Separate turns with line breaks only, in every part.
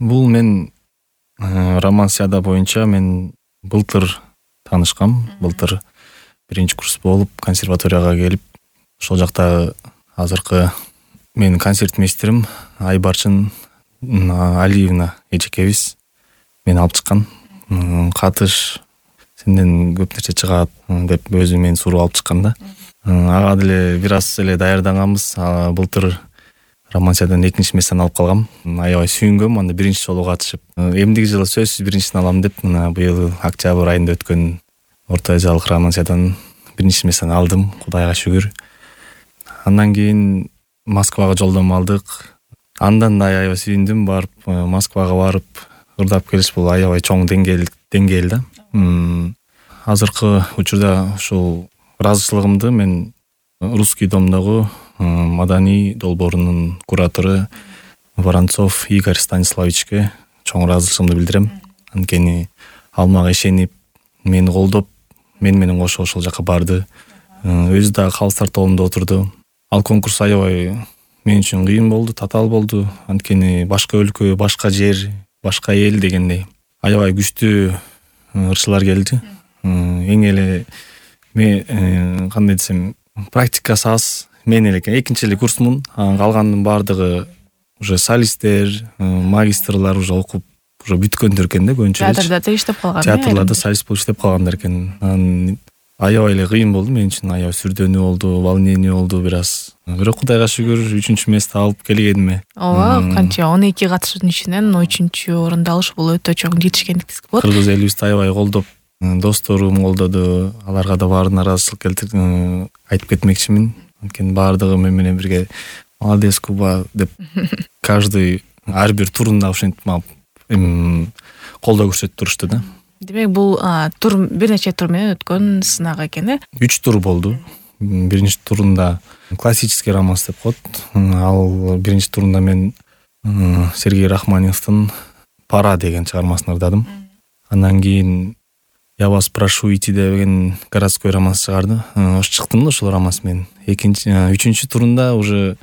Бул мен романсияда боюнча мен былтыр таанышкам. Былтыр 1-курс болуп консерваторияга келип, ошол жакта азыркы менин концерт мейстерим Айбарчын Алиевна эжекебиз мени алып чыккан. Катыш, сенден көп нерсе чыгат деп өзү мени суроо алып чыккан да. Ага деле бир аз эле даярданганбыз. Былтыр романсиядан 2-местен алып калгам. Аябай сүйүнгөм. Анда 1 жолу катышып, эмдиги жылы сөзсүз 1-син алам деп, мына быйыл октябрь айында өткөн Орто Азиялык романсиядан 1-местен алдым, Кудайга шүгүр. Андан кийин Москвага жолдомо алдык. Андан да аябай сүйүндүм. Барып Москвага барып ырдап келиш бул аябай чоң деңгээл да. Азыркы учурда ушул ыраазычылыгымды мен Русский домдогу маданий долбоорунун куратору Воронцов Игорь Станиславичке чоң ыраазычылыгымды билдирем. Анткени ал мага ишенип, мени колдоп, мен менен кошо ошол жака барды. Өзү дагы калыстар тобунда отурду. Ал конкурс аябай мен үчүн кыйын болду, татаал болду. Анткени башка өлкө, башка жер, башка эл дегендей аябай күчтүү ырчылар келди. Эң эле мен кандай десем, практикасы аз. Мен эле экинчи эле курсмун. Калгандын баардыгы уже солисттер, магистрлар уже окуп, уже бүткөндөр экен да көбүнчө.
Театрда да иштеп калган.
Театрларда солист болуп иштеп калгандар экен. Аябай эле кыйын болду мен үчүн, аябай сүрдөнүү болду, волнение болду бир аз. Бирок Кудайга шүгүр 3-мести алып келгениме.
Ооба, канча 12 катышуучунун ичинен 3-орунду алыш бул өтө чоң жетишкендик десек болот.
Кыргыз элибизди аябай колдоп, досторум колдоду. Аларга да баарына ыраазычылык айтып кетмекчимин. Анткени баардыгы мен менен бирге молодец Куба деп каждый ар бир турунда ошентип колдоо көрсөтүп турушту да.
Демек бул тур бир нече тур менен өткөн сынак экен э?
3 тур болду. 1 турунда классический романс деп коет. Ал 1 турунда мен Сергей Рахманиновдун Пара деген чыгармасын ырдадым. Андан кийин Я вас прошу идти деген городской романс чыгарды. Ошо чыктым да ошол романс менен. 3 турунда уже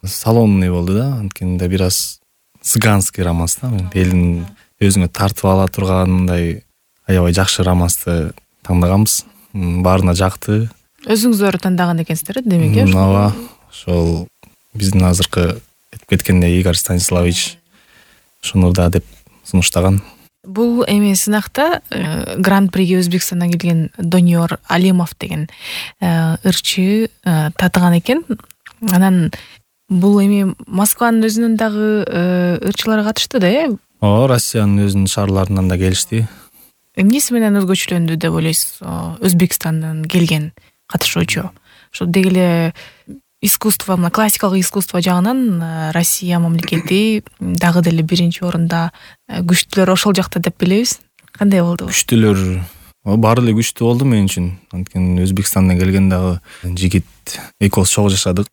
салонный болду да. Анткени да бир аз цыганский романс да. Элдин өзүңө тартып ала тургандай аябай жакшы романсты тандаганбыз. Баарына жакты.
Өзүңүздөр тандаган экенсиздер, демек э?
Ооба. Ошол биздин азыркы айтып кеткендей Игорь Станиславич ошону да деп сунуштаган.
Бул эми сынакта гран-приге Өзбекстандан келген Доньор Алимов деген ырчы татыган экен. Анан бул эми Москванын өзүнөн дагы ырчылар катышты да, э?
Ооба, Россиянын өзүнүн шаарларынан да келишти.
Эмнеси менен өзгөчөлөндү деп ойлойсуз? Өзбекстандан келген катышуучу. Ошо деги эле искусство, классикалык искусство жагынан Россия мамлекети дагы деле 1-орунда күчтүүлөр ошол жакта деп билебиз. Кандай болду?
Күчтүүлөр баары эле күчтүү болду мен үчүн. Анткени Өзбекстандан келген дагы жигит экөөбүз чогуу жашадык.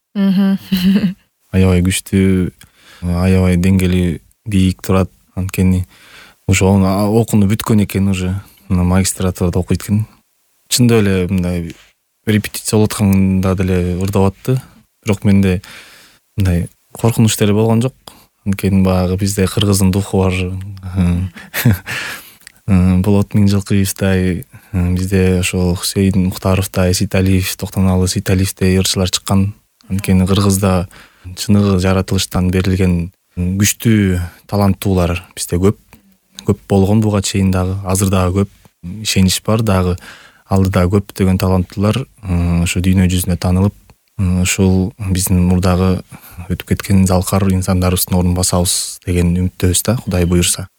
Аябай күчтүү, аябай деңгээли бийик турат. Анткени уже окууну бүткөн экен, уже магистратурада окуйт экен. Чындап эле мындай репетиция болуп атканда деле ырдап атты. Бирок менде мындай коркунуч деле болгон жок. Анткени баягы бизде кыргыздын духу бар. Болот Миңжылкыевдай, бизде ошол Хусейин Мухтаровдай, Ситалиев, Токтомалы Ситалиевдей ырчылар чыккан. Анткени Кыргызда чыныгы жаратылыштан берилген күчтүү таланттуулар бизде көп. Көп болгон буга чейин дагы, азыр дагы көп. Ишенич бар дагы. Алдыда көп деген таланттуулар ошо дүйнө жүзүнө таанылып, ушул биздин мурдагы өтүп кеткен залкар инсандарыбыздын ордун басабыз деген үмүттөбүз да, Кудай буйрса.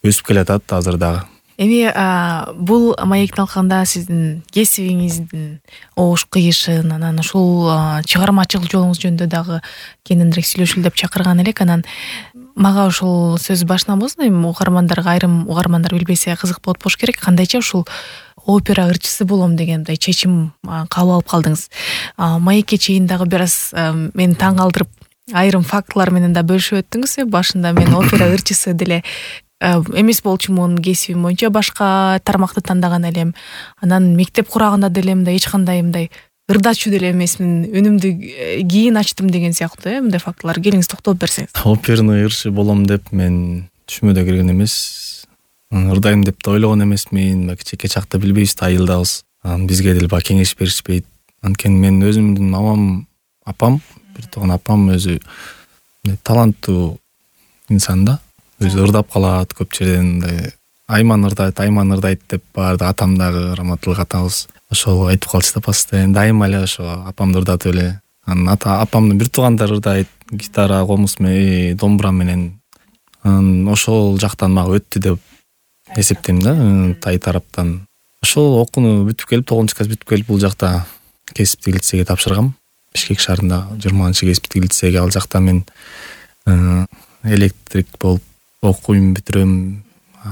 Өсүп келатат азыр дагы.
Эми бул маектин алкагында сиздин кесибиңиздин ош кыйышын, анан ушул чыгармачылык жолуңуз жөнүндө дагы кененирээк сүйлөшөлү деп чакырган элек. Анан мага ушул сөз башынан болсун, эми угармандарга, айрым угармандар билбесе кызык болот болуш керек. Кандайча ушул опера ырчысы болом деген мындай чечим кабыл алып калдыңыз? Маекке чейин дагы бир аз мени таң калтырып, айрым фактылар менен да бөлүшүп өттүңүз. Башында мен опера ырчысы деле эмес болчумун, кесибим боюнча башка тармакты тандаган элем. Анан мектеп курагында деле мындай эч кандай мындай ырдачу деле эмесмин, үнүмдү кийин ачтым деген сыяктуу, мындай фактылар келиңиз токтолуп берсеңиз.
Оперный ырчы болом деп мен түшүмө да кирген эмес. Ырдайм деп да ойлогон эмесмин. Кичинекей чакта билбейбиз да, айылдабыз. Бизге деле баягы кеңеш беришпейт. Анткени мен өзүмдүн апам, бир тууган апам өзү таланттуу инсан да. Өзү ырдап калат көп жерден. Айман ырдайт деп баарды. Атам дагы раматылык атабыз ошол айтып калчу да постоянно. Дайыма эле ошо апамды ырдатып эле. Анан апамдын бир туугандары ырдайт, гитара, комуз менен, домбура менен. Ошол жактан мага өттү деп эсептейм да, тай тараптан. Ошол окууну бүтүп келип, 9 класс бүтүп келип, бул жакта кесиптик лицейге тапшыргам. Бишкек шаарында 20-кесиптик лицейге. Ал жакта мен электрик болуп окуйм, бүтүрөм,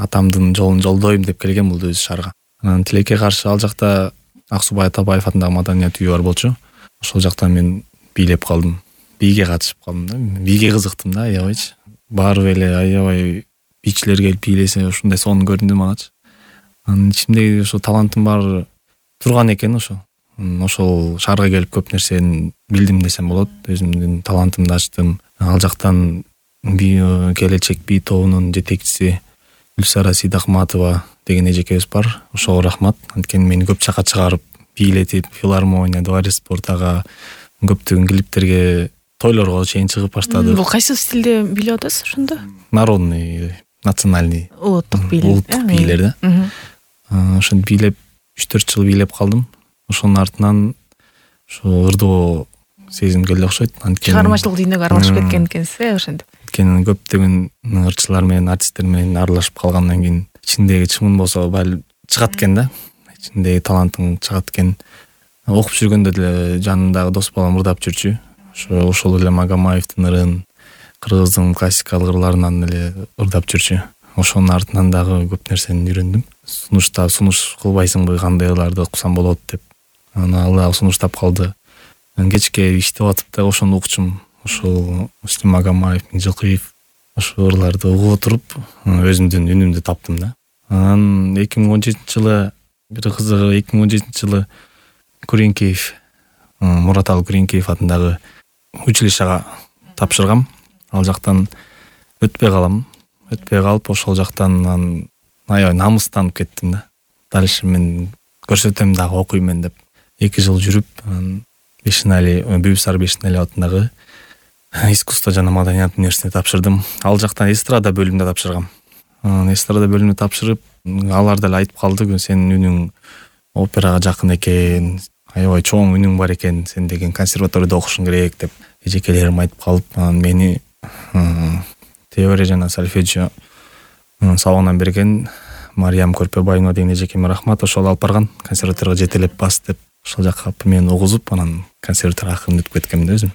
атамдын жолун жолдойм деп келгем бул өзү шаарга. Анан тилекке каршы ал жакта Аксубай Атабаев атындагы маданият үйү бар болчу. Ошол жакта мен бийлеп калдым. Бийге катышып калдым да. Бийге кызыктым да, аябайчы. Барып эле аябай бийчилер келип бийлесе, ушундай сонун көрүндү магачы. Анын ичимдеги ошо талантым бар турган экен ошо. Ошол шаарга келип көп нерсени билдим десем болот. Өзүмдүн талантымды ачтым. Ал жактан келечек бий тобунун жетекчиси Гүлсара Сейдахматова деген эжекебиз бар. Ошого рахмат. Анткени мени көп жака чыгарып, бийлетип, филармония, дворец спортага, көптөгөн клиптерге, тойлорго чейин чыгып баштады.
Бул кайсы стилде бийлеп атасыз ошондо?
Народный, национальный,
улуттук бийлер
да. Ошентип бийлеп 3-4 жыл бийлеп калдым. Ошонун артынан ошо ырдоо сезимге эле окшойт. Анткени
чыгармачылык дүйнөгө аралашып кеткен экенсиз, ошентип.
Анткени көптөгөн ырчылар менен, артисттер менен аралашып калгандан кийин ичиңдеги чымын болсо баары чыгат экен да. Ичиңдеги талантың чыгат экен. Окуп жүргөндө деле жанымдагы дос балам ырдап жүрчү. Ошол эле Магомаевдин ырын, кыргыздын классикалык ырларынан эле ырдап жүрчү. Ошонун артынан дагы көп нерсени үйрөндүм. Сунуш кылбайсыңбы, кандай ырларды окусам болот деп. Ал сунуштап калды. Кечке иштеп атып да ошону укчум. Ошол Муслим Магомаев, Миңжилкыев ошол ырларды угуп отуруп, өзүмдүн үнүмдү таптым да. Анан 2017-жылы бир кызыгы 2017-жылы Күреңкеев, Мураталы Күреңкеев атындагы училищага тапшыргам. Ал жактан өтпөй калып, ошол жактан аябай намыстанып кеттим да. Дальше мен көрсөтөм дагы, окуймун деп 2 жыл жүрүп, Бүйүксары Бешинали атындагы искусство жана маданият университетине тапшырдым. Ал жактан эстрада бөлүмүндө тапшыргам. Эстрада бөлүмүндө тапшырып, алар деле айтып калды, сенин үнүң операга жакын экен, аябай чоң үнүң бар экен, сен деген консерваторияда окушуң керек деп эжекелерим айтып калып, мени теория жана сольфеджио сабагынан берген Мариям Көрпөбаева деген эжекеме рахмат. Ошол алып барган, консерваторияга жетелеп бас деп ошол жака мени угузуп, анан консерваторияга акырын өтүп кеткем да өзүм.